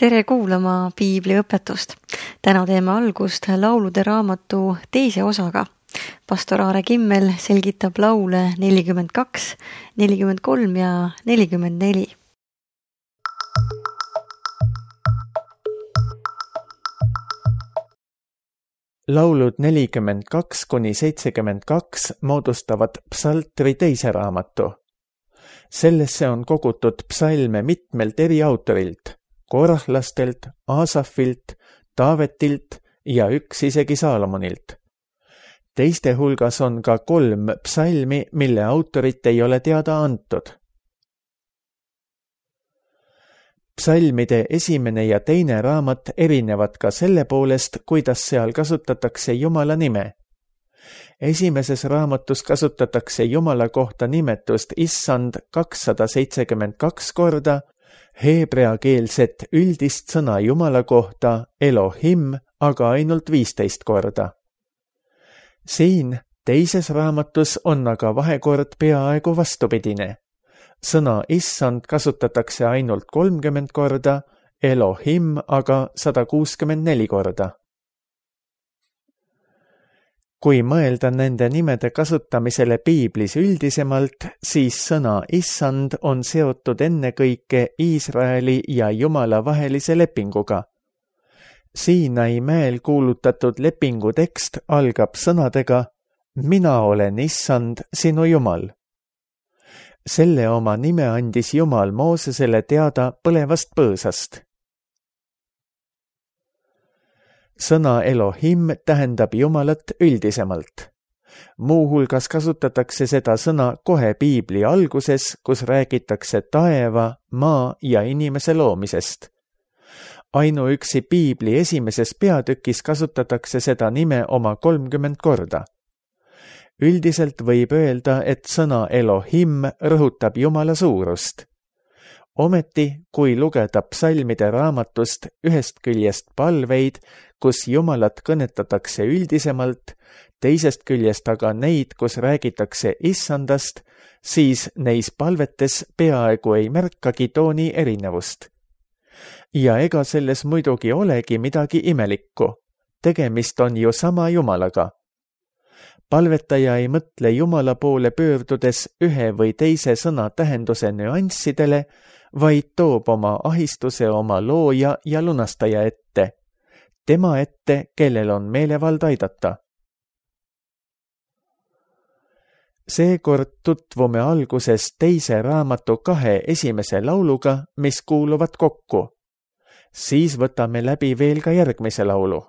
Tere kuulama piibliõpetust. Täna teeme algust laulude raamatu teise osaga. Pastor Aare Kimmel selgitab laule 42, 43 ja 44. Laulud 42–72 moodustavad psaltri teise raamatu. Sellesse on kogutud psalme mitmelt eri autorilt, korahlastelt, Aasafilt, Taavetilt ja üks isegi Saalomonilt. Teiste hulgas on ka 3 psalmi, mille autorit ei ole teada antud. Psalmide esimene ja teine raamat erinevad ka selle poolest, kuidas seal kasutatakse Jumala nime. Esimeses raamatus kasutatakse Jumala kohta nimetust Issand 272 korda, heebreakeelset üldist sõna Jumala kohta Elohim aga ainult 15 korda. Siin teises raamatus on aga vahekord peaaegu vastupidine. Sõna Issand kasutatakse ainult 30 korda, Elohim aga 164 korda. Kui mõelda nende nimede kasutamisele piiblis üldisemalt, siis sõna Issand on seotud ennekõike Iisraeli ja Jumala vahelise lepinguga. Siinai mäel kuulutatud lepingu tekst algab sõnadega Mina olen Issand, sinu Jumal. Selle oma nime andis Jumal Moosesele teada põlevast põõsast. Sõna Elohim tähendab Jumalat üldisemalt. Muuhulgas kasutatakse seda sõna kohe piibli alguses, kus räägitakse taeva, maa ja inimese loomisest. Ainuüksi piibli esimeses peatükis kasutatakse seda nime oma 30 korda. Üldiselt võib öelda, et sõna Elohim rõhutab Jumala suurust. Ometi, kui lugeda psalmide raamatust ühest küljest palveid, kus Jumalat kõnetatakse üldisemalt, teisest küljest aga neid, kus räägitakse Issandast, siis neis palvetes peaaegu ei märkagi tooni erinevust. Ja ega selles muidugi olegi midagi imelikku. Tegemist on ju sama Jumalaga. Palvetaja ei mõtle Jumala poole pöördudes ühe või teise sõna tähenduse nüanssidele, vaid toob oma ahistuse oma looja ja lunastaja ette. Tema ette, kellel on meelevald aidata. Seekord tutvume alguses teise raamatu 2 esimese lauluga, mis kuuluvad kokku. Siis võtame läbi veel ka järgmise laulu.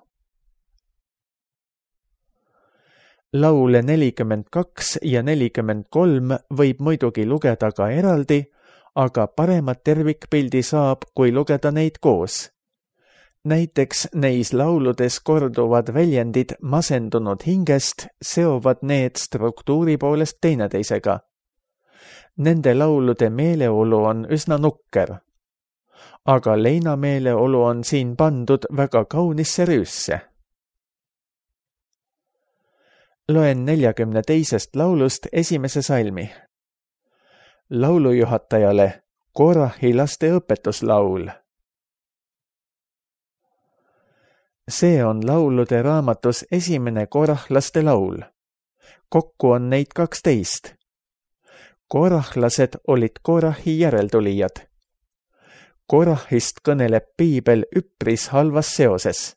Laule 42 ja 43 võib muidugi lugeda ka eraldi, aga paremat tervikpildi saab, kui lugeda neid koos. Näiteks neis lauludes korduvad väljendid masendunud hingest seovad need struktuuri poolest teineteisega. Nende laulude meeleolu on üsna nukker. Aga leina meeleolu on siin pandud väga kaunisse rüüsse. Loen 42. laulust esimese salmi. Laulujuhatajale Korahi laste õpetuslaul. See on laulude raamatus esimene korahlaste laul. Kokku on neid 12. Korahlased olid Korahi järeltulijad. Korahist kõneleb piibel üpris halvas seoses.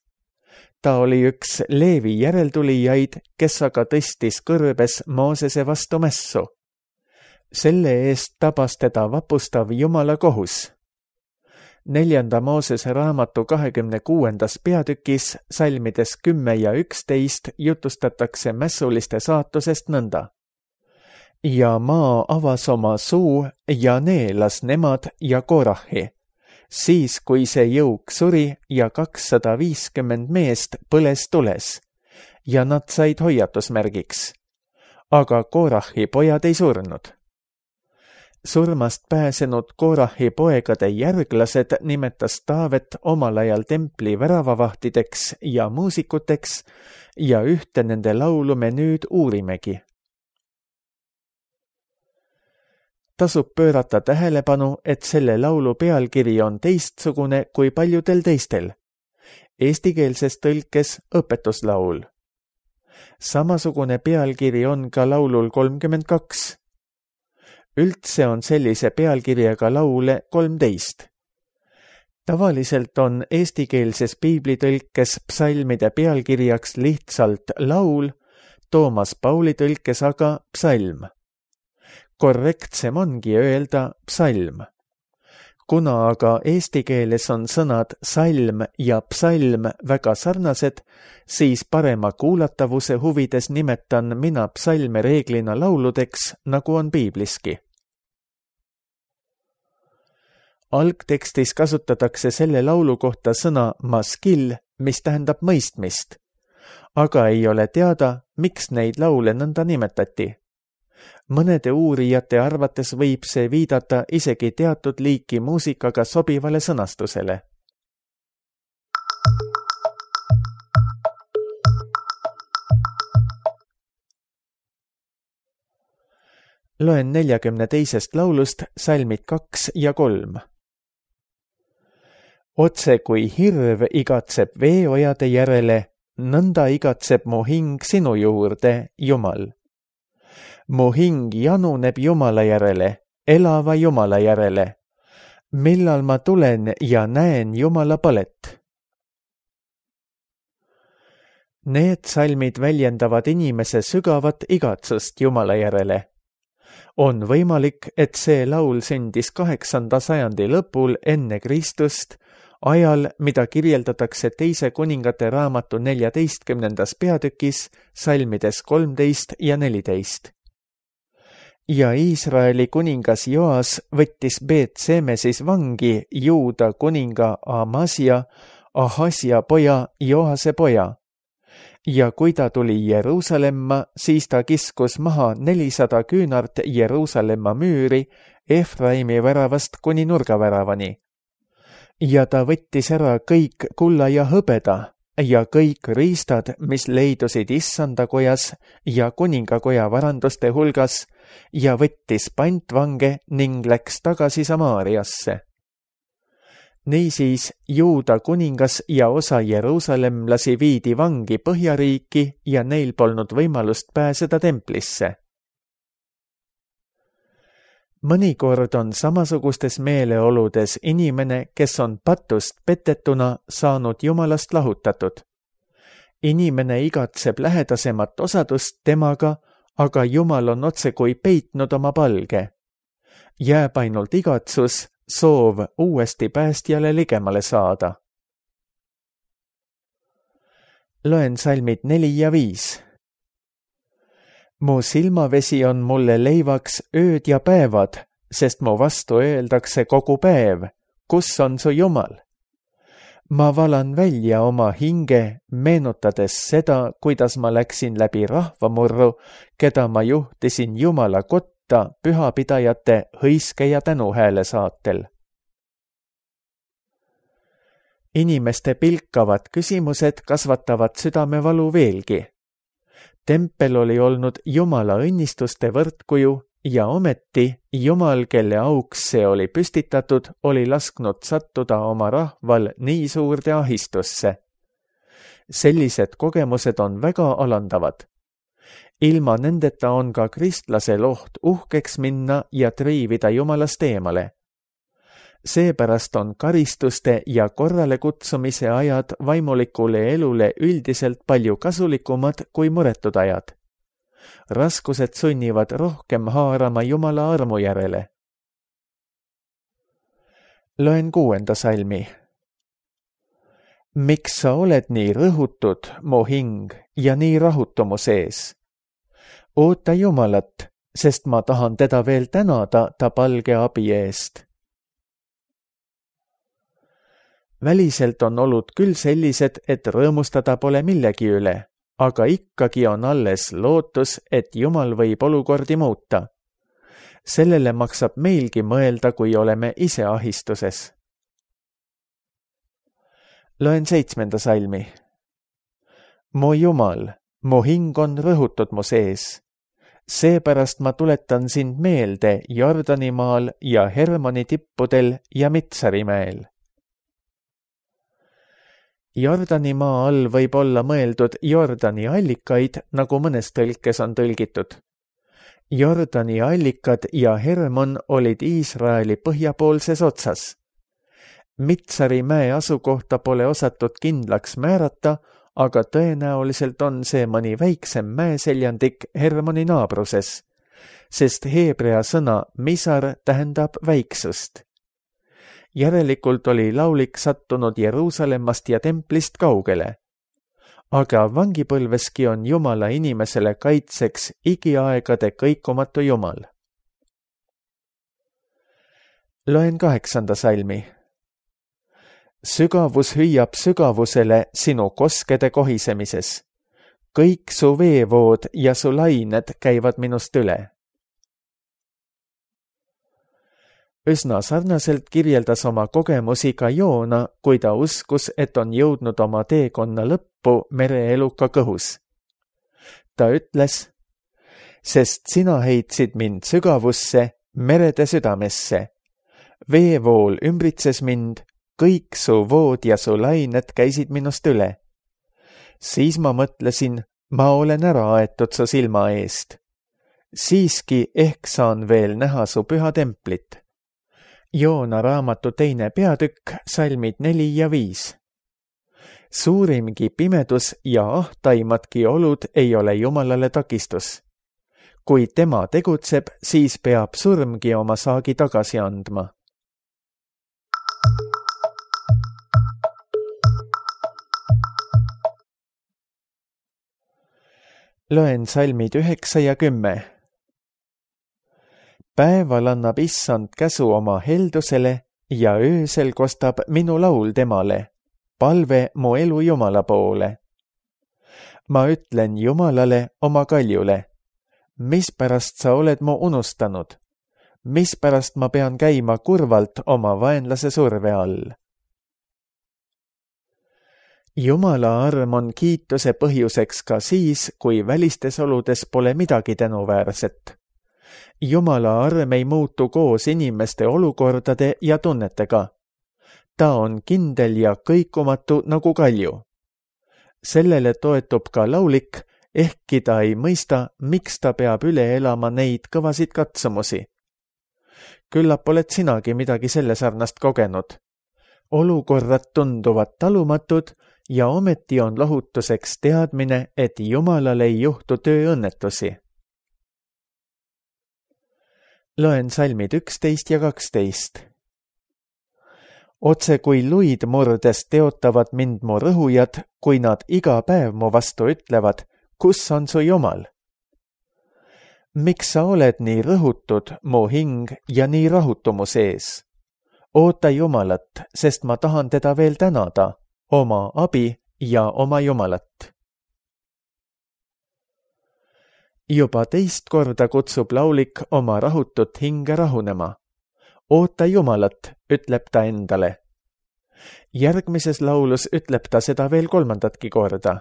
Ta oli üks Leevi järeltulijaid, kes aga tõstis kõrbes Moosese vastu mässu. Selle eest tabas teda vapustav Jumala kohus. 4. Moosese raamatu 26. peatükis salmides 10 ja 11 jutustatakse mässuliste saatusest nõnda. Ja maa avas oma suu ja neelas nemad ja Korahi. Siis, kui see jõuk suri ja 250 meest põles tules ja nad said hoiatusmärgiks. Aga Korahi pojad ei surnud. Surmast pääsenud Korahi poegade järglased nimetas Taavet omal ajal templi väravavahtideks ja muusikuteks ja ühte nende laulu me nüüd uurimegi. tasub pöörata tähelepanu, et selle laulu pealkiri on teistsugune kui paljudel teistel. Eestikeelses tõlkes õpetuslaul. Samasugune pealkiri on ka laulul 32. Üldse on sellise pealkirjaga laule 13. Tavaliselt on eestikeelses piiblitõlkes psalmide pealkirjaks lihtsalt laul, Toomas Pauli tõlkes aga psalm. Korrektsem ongi öelda psalm. Kuna aga eesti keeles on sõnad salm ja psalm väga sarnased, siis parema kuulatavuse huvides nimetan mina psalme reeglina lauludeks, nagu on piibliski. Algtekstis kasutatakse selle laulu kohta sõna maskil, mis tähendab mõistmist, aga ei ole teada, miks neid laule nõnda nimetati. Mõnede uurijate arvates võib see viidata isegi teatud liiki muusikaga sobivale sõnastusele. Loen 42. laulust salmid 2 ja 3. Otse kui hirv igatseb veeojade järele, nõnda igatseb mu hing sinu juurde, Jumal. Mu hing januneb Jumala järele, elava Jumala järele. Millal ma tulen ja näen Jumala palet? Need salmid väljendavad inimese sügavat igatsust Jumala järele. On võimalik, et see laul sündis 8. sajandi lõpul enne Kristust, ajal, mida kirjeldatakse teise kuningate raamatu 14. peatükis, salmides 13 ja 14. Ja Iisraeli kuningas Joas võttis Beet-Semesis vangi Juuda kuninga Amasia, Ahasja poja, Joase poja. Ja kui ta tuli Jeruusalemma, siis ta kiskus maha 400 küünart Jeruusalemma müüri Efraimi väravast kuni nurgaväravani. Ja ta võttis ära kõik kulla ja hõbeda ja kõik riistad, mis leidusid issandakojas ja kuningakoja varanduste hulgas, ja võttis pantvange ning läks tagasi Samaariasse. Niisiis Juuda kuningas ja osa jeruusalemlasi viidi vangi Põhjariiki ja neil polnud võimalust pääseda templisse. Mõnikord on samasugustes meeleoludes inimene, kes on patust petetuna saanud Jumalast lahutatud. Inimene igatseb lähedasemat osadust temaga, aga Jumal on otse kui peitnud oma palge. Jääb ainult igatsus, soov uuesti päästjale ligemale saada. Loen salmid 4 ja 5. Mu silmavesi on mulle leivaks ööd ja päevad, sest mu vastu öeldakse kogu päev, kus on su Jumal? Ma valan välja oma hinge, meenutades seda, kuidas ma läksin läbi rahvamurru, keda ma juhtisin Jumala kotta pühapidajate hõiske ja tänuhääle saatel. Inimeste pilkavad küsimused kasvatavad südamevalu veelgi. Tempel oli olnud Jumala õnnistuste võrdkuju ja ometi Jumal, kelle auks see oli püstitatud, oli lasknud sattuda oma rahval nii suurde ahistusse. Sellised kogemused on väga alandavad. Ilma nendeta on ka kristlasel oht uhkeks minna ja triivida Jumalast eemale. Seepärast on karistuste ja korrale kutsumise ajad vaimulikule elule üldiselt palju kasulikumad kui muretud ajad. Raskused sunnivad rohkem haarama Jumala armu järele. Loen 6. salmi. Miks sa oled nii rõhutud, mu hing, ja nii rahutu mu sees? Oota Jumalat, sest ma tahan teda veel tänada ta palge abi eest. Väliselt on olud küll sellised, et rõõmustada pole millegi üle, aga ikkagi on alles lootus, et Jumal võib olukordi muuta. Sellele maksab meilgi mõelda, kui oleme ise ahistuses. Loen 7. salmi. Mu Jumal, mu hing on rõhutud mu sees. Seepärast ma tuletan sind meelde Jordanimaal ja Hermoni tippudel ja Mitsarimäel. Jordanimaa all võib olla mõeldud Jordani allikaid, nagu mõnes tõlkes on tõlgitud. Jordani allikad ja Hermon olid Iisraeli põhjapoolses otsas. Mitsari mäe asukohta pole osatud kindlaks määrata, aga tõenäoliselt on see mõni väiksem mäeseljandik Hermoni naabruses, sest heebrea sõna misar tähendab väiksust. Järelikult oli laulik sattunud Jeruusalemmast ja templist kaugele. Aga vangipõlveski on Jumala inimesele kaitseks igiaegade kõikumatu Jumal. Loen 8. salmi. Sügavus hüüab sügavusele sinu koskede kohisemises. Kõik su veevood ja su lained käivad minust üle. Üsna sarnaselt kirjeldas oma kogemusi ka Joona, kui ta uskus, et on jõudnud oma teekonna lõppu mereeluka kõhus. Ta ütles, sest sina heitsid mind sügavusse, merede südamesse. Veevool ümbritses mind, kõik su vood ja su lained käisid minust üle. Siis ma mõtlesin, ma olen ära aetud su silma eest. Siiski ehk saan veel näha su püha templit. Joona raamatu 2. peatükk, salmid 4 ja 5. Suurimgi pimedus ja ahtaimadki olud ei ole Jumalale takistus. Kui tema tegutseb, siis peab surmgi oma saagi tagasi andma. Loen salmid 9 ja 10. Päeval annab issand käsu oma heldusele ja öösel kostab minu laul temale, palve mu elu Jumala poole. Ma ütlen Jumalale oma kaljule, mispärast sa oled mu unustanud, mispärast ma pean käima kurvalt oma vaenlase surve all. Jumala arm on kiituse põhjuseks ka siis, kui välistes oludes pole midagi tänuväärset. Jumala arm ei muutu koos inimeste olukordade ja tunnetega. Ta on kindel ja kõikumatu nagu kalju. Sellele toetub ka laulik, ehkki ta ei mõista, miks ta peab üle elama neid kõvasid katsumusi. Küllap oled sinagi midagi selle sarnast kogenud. Olukorrad tunduvad talumatud ja ometi on lohutuseks teadmine, et Jumalal ei juhtu tööõnnetusi. Loen salmid 11 ja 12. Otse kui luid murdes teotavad mind mu rõhujad, kui nad iga päev mu vastu ütlevad, kus on su Jumal? Miks sa oled nii rõhutud, mu hing, ja nii rahutu mu sees? Oota Jumalat, sest ma tahan teda veel tänada, oma abi ja oma Jumalat. Juba teist korda kutsub laulik oma rahutut hinge rahunema. Oota Jumalat, ütleb ta endale. Järgmises laulus ütleb ta seda veel 3. korda.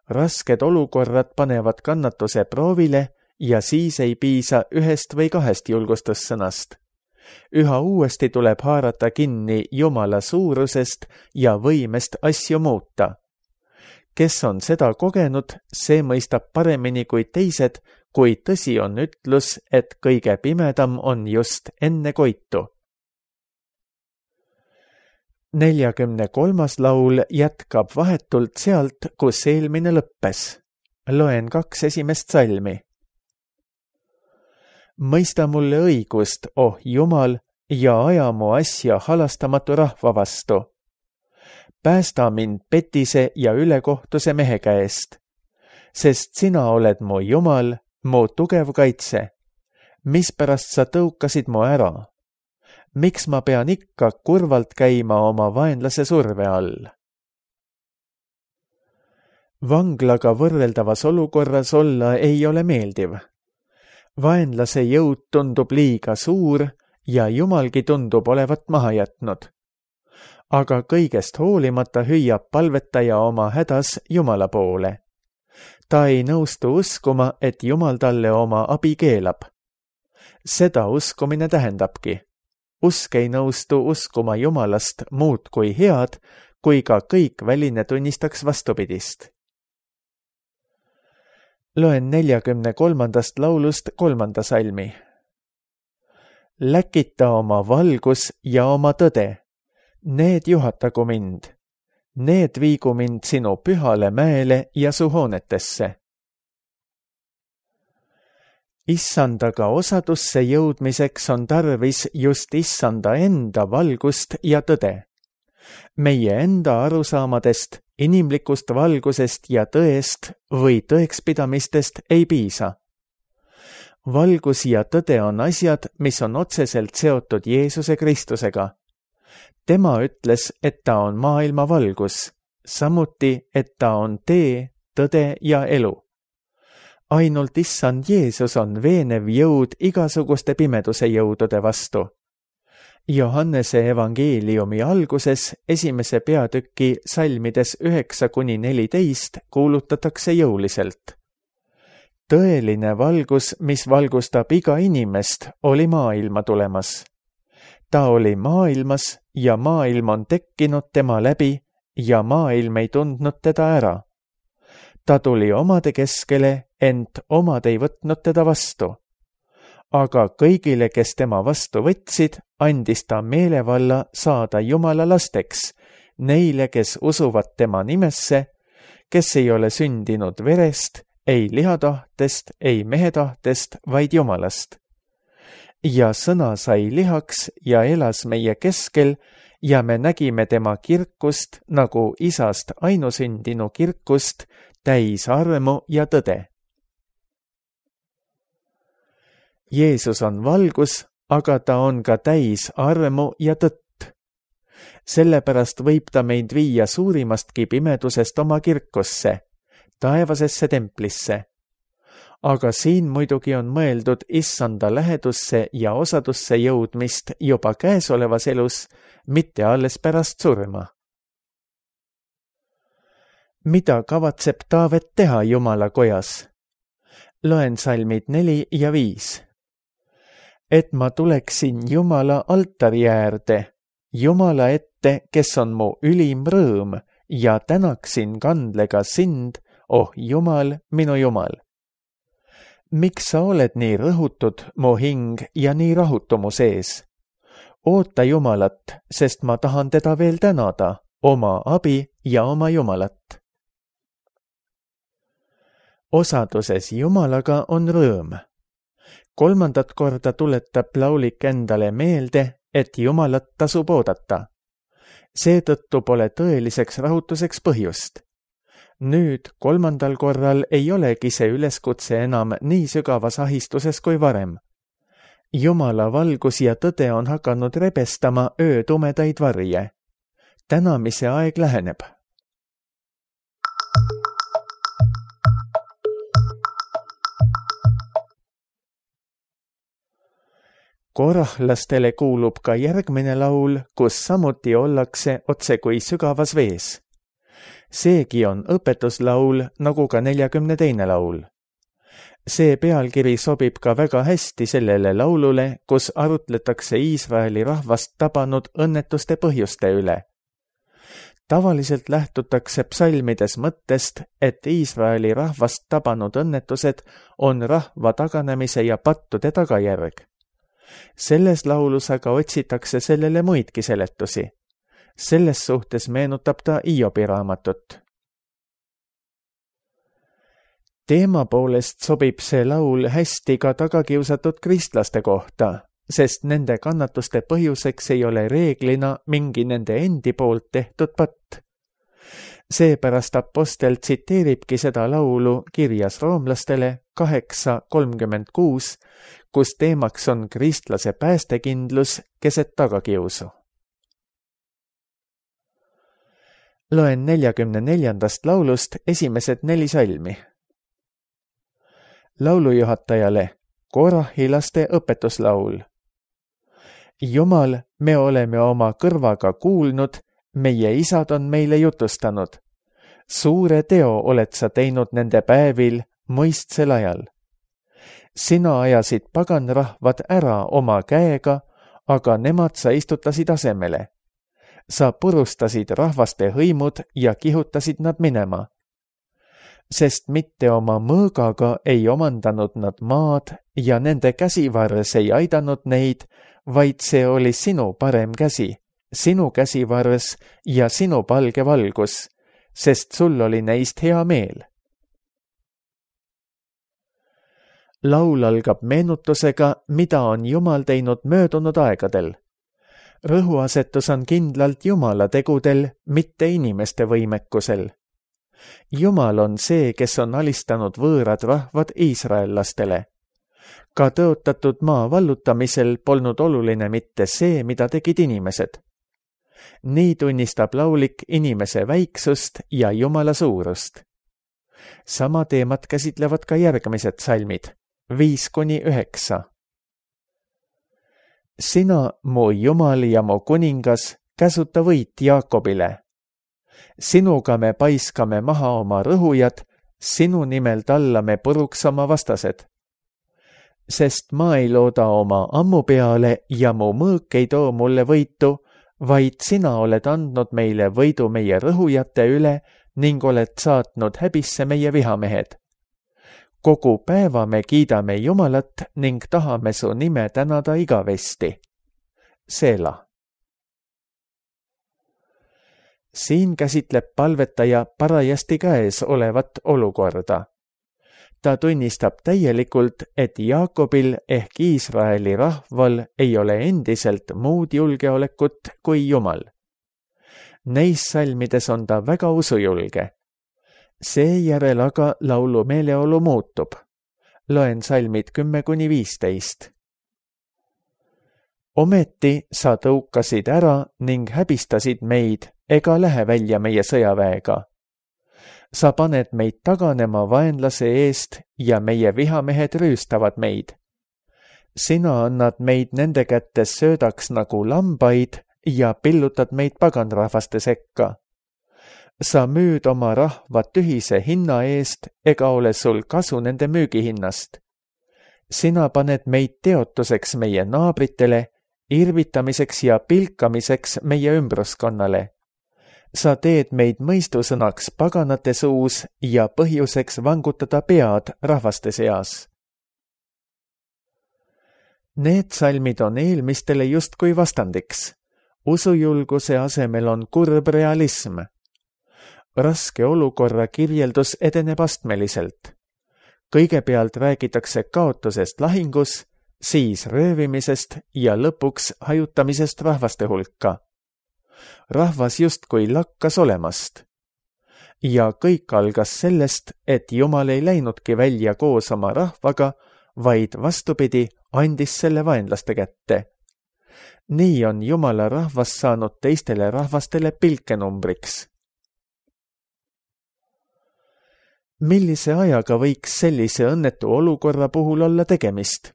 Rasked olukorrad panevad kannatuse proovile ja siis ei piisa 1 või 2 julgustussõnast. Üha uuesti tuleb haarata kinni Jumala suurusest ja võimest asju muuta. Kes on seda kogenud, see mõistab paremini kui teised, kui tõsi on ütlus, et kõige pimedam on just enne koitu. 43. laul jätkab vahetult sealt, kus eelmine lõppes. Loen 2 esimest salmi. Mõista mulle õigust, oh Jumal, ja aja mu asja halastamatu rahva vastu. Päästa mind petise ja ülekohtuse mehe käest, sest sina oled mu Jumal, mu tugev kaitse. Mispärast sa tõukasid mu ära? Miks ma pean ikka kurvalt käima oma vaenlase surve all? Vanglaga võrreldavas olukorras olla ei ole meeldiv. Vaenlase jõud tundub liiga suur ja Jumalgi tundub olevat maha jätnud. Aga kõigest hoolimata hüüab palvetaja oma hädas Jumala poole. Ta ei nõustu uskuma, et Jumal talle oma abi keelab. Seda uskumine tähendabki. Usk ei nõustu uskuma Jumalast muud kui head, kui ka kõik väline tunnistaks vastupidist. Loen 43. laulust 3. salmi. Läkita oma valgus ja oma tõde. Need juhatagu mind. Need viigu mind sinu pühale mäele ja su hoonetesse. Issandaga osadusse jõudmiseks on tarvis just Issanda enda valgust ja tõde. Meie enda arusaamadest, inimlikust valgusest ja tõest või tõekspidamistest ei piisa. Valgus ja tõde on asjad, mis on otseselt seotud Jeesuse Kristusega. Tema ütles, et ta on maailma valgus, samuti, et ta on tee, tõde ja elu. Ainult Issand Jeesus on veenev jõud igasuguste pimeduse jõudude vastu. Johannese evangeeliumi alguses 1. peatüki salmides 9-14 kuulutatakse jõuliselt. Tõeline valgus, mis valgustab iga inimest, oli maailma tulemas. Ta oli maailmas ja maailm on tekkinud tema läbi ja maailm ei tundnud teda ära. Ta tuli omade keskele, ent omad ei võtnud teda vastu. Aga kõigile, kes tema vastu võtsid, andis ta meelevalla saada Jumala lasteks, neile, kes usuvad tema nimesse, kes ei ole sündinud verest, ei lihatahtest, ei mehetahtest, vaid Jumalast. Ja sõna sai lihaks ja elas meie keskel ja me nägime tema kirkust nagu isast ainusündinu kirkust, täis armu ja tõde. Jeesus on valgus, aga ta on ka täis armu ja tõtt. Sellepärast võib ta meid viia suurimastki pimedusest oma kirkusse, taevasesse templisse. Aga siin muidugi on mõeldud Issanda lähedusse ja osadusse jõudmist juba käesolevas elus, mitte alles pärast surma. Mida kavatseb Taavet teha Jumala kojas? Loen salmid 4 ja 5. Et ma tuleksin Jumala altari äärde, Jumala ette, kes on mu ülim rõõm, ja tänaksin kandlega sind, oh Jumal, minu Jumal. Miks sa oled nii rõhutud, mu hing, ja nii rahutu mu sees? Oota Jumalat, sest ma tahan teda veel tänada, oma abi ja oma Jumalat. Osaduses Jumalaga on rõõm. 3. korda tuletab laulik endale meelde, et Jumalat tasub oodata. Seetõttu pole tõeliseks rahutuseks põhjust. Nüüd 3. korral ei olegi see üleskutse enam nii sügavas ahistuses kui varem. Jumala valgus ja tõde on hakanud rebestama öö tumedaid varje. Tänamise aeg läheneb. Korahlastele kuulub ka järgmine laul, kus samuti ollakse otse kui sügavas vees. Seegi on õpetuslaul, nagu ka 42. laul. See pealkiri sobib ka väga hästi sellele laulule, kus arutletakse Iisraeli rahvast tabanud õnnetuste põhjuste üle. Tavaliselt lähtutakse psalmides mõttest, et Iisraeli rahvast tabanud õnnetused on rahva taganemise ja pattude tagajärg. Selles laulus aga otsitakse sellele muidki seletusi. Selles suhtes meenutab ta Hiobi raamatut. Teema poolest sobib see laul hästi ka tagakiusatud kristlaste kohta, sest nende kannatuste põhjuseks ei ole reeglina mingi nende endi poolt tehtud patt. Seepärast apostel tsiteeribki seda laulu kirjas roomlastele 8:36, kus teemaks on kristlase päästekindlus keset tagakiusu. Loen 44. laulust esimesed 4 salmi. Laulujuhatajale Korahilaste õpetuslaul. Jumal, me oleme oma kõrvaga kuulnud, meie isad on meile jutustanud. suure teo oled sa teinud nende päevil mõistsel ajal. Sina ajasid paganrahvad ära oma käega, aga nemad sa istutasid asemele. Sa purustasid rahvaste hõimud ja kihutasid nad minema. Sest mitte oma mõõgaga ei omandanud nad maad ja nende käsivarres ei aidanud neid, vaid see oli sinu parem käsi, sinu käsivarres ja sinu palge valgus, sest sul oli neist hea meel. Laul algab meenutusega, mida on Jumal teinud möödunud aegadel. Rõhuasetus on kindlalt Jumala tegudel, mitte inimeste võimekusel. Jumal on see, kes on alistanud võõrad rahvad iisraellastele. Ka tõotatud maa vallutamisel polnud oluline mitte see, mida tegid inimesed. Nii tunnistab laulik inimese väiksust ja Jumala suurust. Sama teemat käsitlevad ka järgmised salmid, 5-9. Sina, mu Jumal ja mu kuningas, käsuta võit Jaakobile. Sinuga me paiskame maha oma rõhujad, sinu nimel tallame puruks oma vastased. Sest ma ei looda oma ammu peale ja mu mõõk ei too mulle võitu, vaid sina oled andnud meile võidu meie rõhujate üle ning oled saatnud häbisse meie vihamehed. Kogu päeva me kiidame Jumalat ning tahame su nime tänada igavesti. Seela. Siin käsitleb palvetaja parajasti käes olevat olukorda. Ta tunnistab täielikult, et Jaakobil ehk Iisraeli rahval ei ole endiselt muud julgeolekut kui Jumal. Neis salmides on ta väga usujulge. Seejärel aga laulu meeleolu muutub. Loen salmid 10-15. Ometi sa tõukasid ära ning häbistasid meid, ega lähe välja meie sõjaväega. Sa paned meid taganema vaenlase eest ja meie vihamehed rüüstavad meid. Sina annad meid nende kätes söödaks nagu lambaid ja pillutad meid paganrahvaste sekka. Sa müüd oma rahva tühise hinna eest ega ole sul kasu nende müügihinnast. Sina paned meid teotuseks meie naabritele, irvitamiseks ja pilkamiseks meie ümbruskonnale. Sa teed meid mõistusõnaks paganate suus ja põhjuseks vangutada pead rahvaste seas. Need salmid on eelmistele justkui vastandiks. Usujulguse asemel on kurb realism. Raske olukorra kirjeldus edeneb astmeliselt. Kõigepealt räägitakse kaotusest lahingus, siis röövimisest ja lõpuks hajutamisest rahvaste hulka. Rahvas justkui lakkas olemast. Ja kõik algas sellest, et Jumal ei läinudki välja koos oma rahvaga, vaid vastupidi, andis selle vaenlaste kätte. Nii on Jumala rahvas saanud teistele rahvastele pilkenumbriks. Millise ajaga võiks sellise õnnetu olukorra puhul olla tegemist?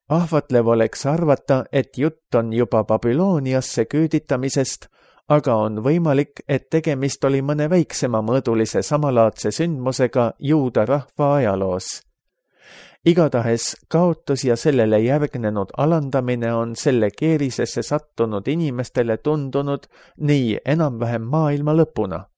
Ahvatlev oleks arvata, et jutt on juba Babyloniasse küüditamisest, aga on võimalik, et tegemist oli mõne väiksema mõõdulise samalaadse sündmusega juuda rahva ajaloos. Igatahes kaotus ja sellele järgnenud alandamine on selle keerisesse sattunud inimestele tundunud nii enam-vähem maailma lõpuna.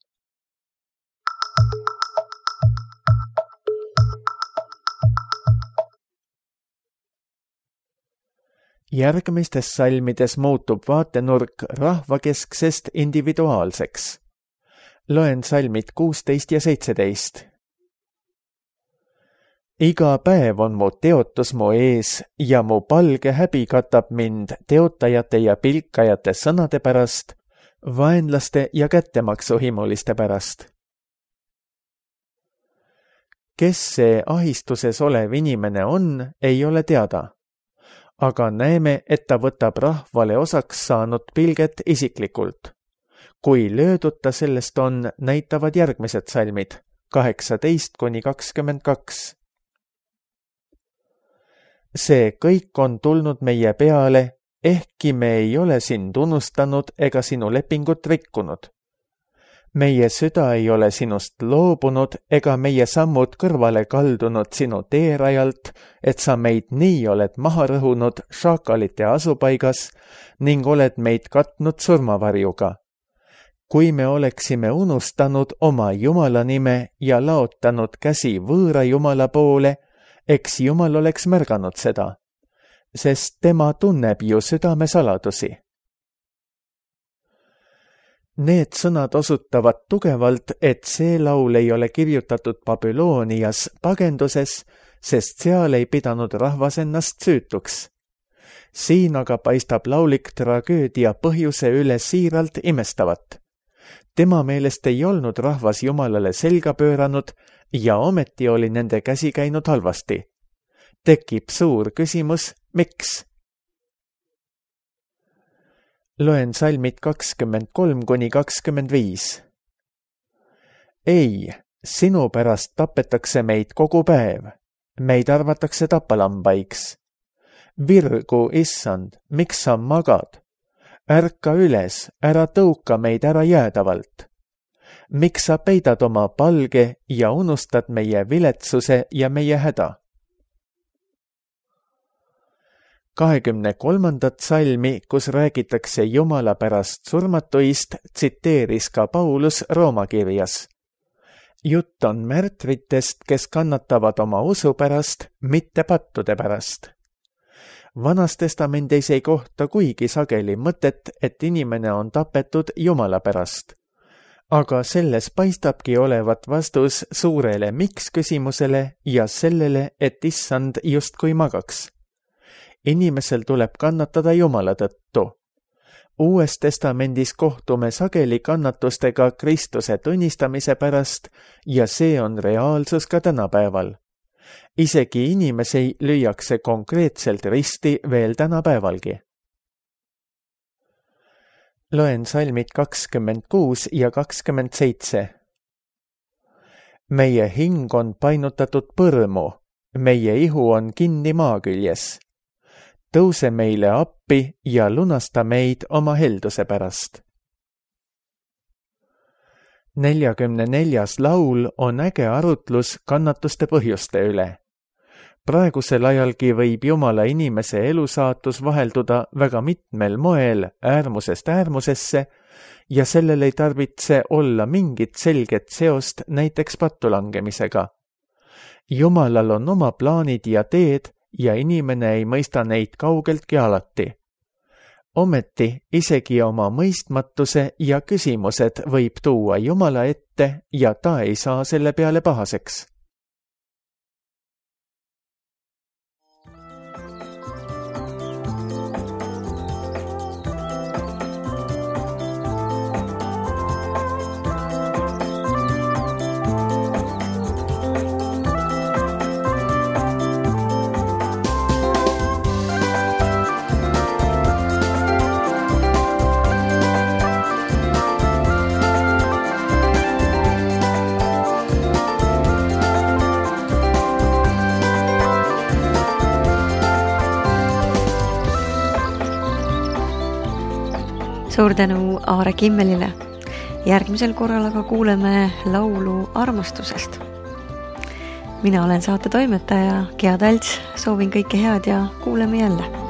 Järgmistes salmides muutub vaatenurk rahvakesksest individuaalseks. Loen salmid 16 ja 17. Iga päev on mu teotus mu ees ja mu palge häbi katab mind teotajate ja pilkajate sõnade pärast, vaenlaste ja kättemaksuhimuliste pärast. Kes see ahistuses olev inimene on, ei ole teada. Aga näeme, et ta võtab rahvale osaks saanud pilget isiklikult. Kui löödud ta sellest on, näitavad järgmised salmid, 18-22. See kõik on tulnud meie peale, ehkki me ei ole sind unustanud ega sinu lepingut rikkunud. meie süda ei ole sinust loobunud ega meie sammud kõrvale kaldunud sinu teerajalt, et sa meid nii oled maha rõhunud šaakalite asupaigas ning oled meid katnud surmavarjuga. Kui me oleksime unustanud oma Jumala nime ja laotanud käsi võõra Jumala poole, eks Jumal oleks märganud seda, sest tema tunneb ju südame saladusi. Need sõnad osutavad tugevalt, et see laul ei ole kirjutatud Babylonias pagenduses, sest seal ei pidanud rahvas ennast süütuks. Siin aga paistab laulik tragöödia põhjuse üle siiralt imestavat. Tema meelest ei olnud rahvas Jumalale selga pööranud ja ometi oli nende käsi käinud halvasti. Tekib suur küsimus, miks? Loen salmid 23–25. Ei, sinu pärast tapetakse meid kogu päev. Meid arvatakse tapalambaiks. Virgu, issand, miks sa magad? Ärka üles, ära tõuka meid ära jäädavalt. Miks sa peidad oma palge ja unustad meie viletsuse ja meie häda? 23. salmi, kus räägitakse Jumala pärast surmatuist, tsiteeris ka Paulus Rooma kirjas. Jutt on märtritest, kes kannatavad oma usu pärast, mitte pattude pärast. Vanas testamendis ei kohta kuigi sageli mõtet, et inimene on tapetud Jumala pärast. Aga selles paistabki olevat vastus suurele miks küsimusele ja sellele, et issand justkui magaks. Inimesel tuleb kannatada Jumala tõttu. Uues testamendis kohtume sageli kannatustega Kristuse tunnistamise pärast ja see on reaalsus ka tänapäeval. Isegi inimesi lüüakse konkreetselt risti veel tänapäevalgi. Loen salmid 26 ja 27. Meie hing on painutatud põrmu, meie ihu on kinni maaküljes. Tõuse meile appi ja lunasta meid oma helduse pärast. 44. laul on äge arutlus kannatuste põhjuste üle. Praegusel ajalgi võib Jumala inimese elusaatus vahelduda väga mitmel moel äärmusest äärmusesse ja sellel ei tarvitse olla mingit selget seost näiteks pattulangemisega. Jumalal on oma plaanid ja teed ja inimene ei mõista neid kaugeltki alati. Ometi isegi oma mõistmatuse ja küsimused võib tuua Jumala ette ja ta ei saa selle peale pahaseks. Suur tänu Aare Kimmelile. Järgmisel korral aga kuuleme laulu armastusest. Mina olen saate toimetaja Gea Talts, soovin kõike head ja kuuleme jälle.